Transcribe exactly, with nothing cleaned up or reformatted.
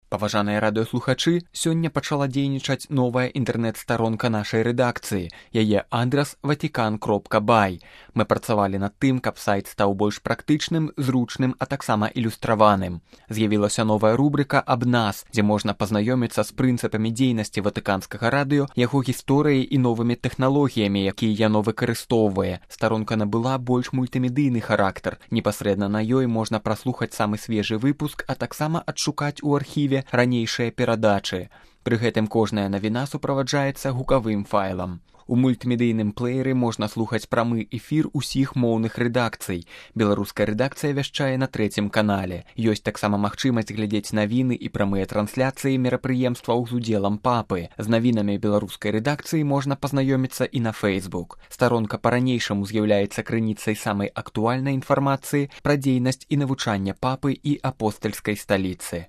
Паважаныя радыёслухачы, сёння пачала дзейнічаць новая інтэрнэт-старонка нашай рэдакцыі. Яе адрас ватикан кропка бай. Мы працавалі над тым, каб сайт стаў больш практычным, зручным, а таксама ілюстраваным. З'явілася новая рубрыка «Аб нас», дзе можна пазнаёміцца з прынцыпамі дзейнасці ватыканскага радыё, яго гісторыяй і новымі тэхналогіямі, якія яно выкарыстоўвае. Старонка набыла больш мультымедыйны характар. Непасрэдна на ёй можна праслухаць самы свежы выпуск, а таксама адшукаць у архіве ранейшыя перадачы. Пры гэтым кожная навіна суправаджаецца гукавым файлам. У мультымедыйным плееры можна слухаць прамы эфір усіх моўных рэдакцый. Беларуская рэдакцыя вяшчае на трэцім канале. Ёсць таксама магчымасць глядзець навіны і прамыя трансляцыі мерапрыемстваў з удзелам папы. З навінамі беларускай рэдакцыі можна пазнаёміцца і на Facebook. Старонка па-ранейшаму з'яўляецца крыніцай самай актуальнай інфармацыі пра дзейнасць і навучанне папы і апостальскай сталіцы.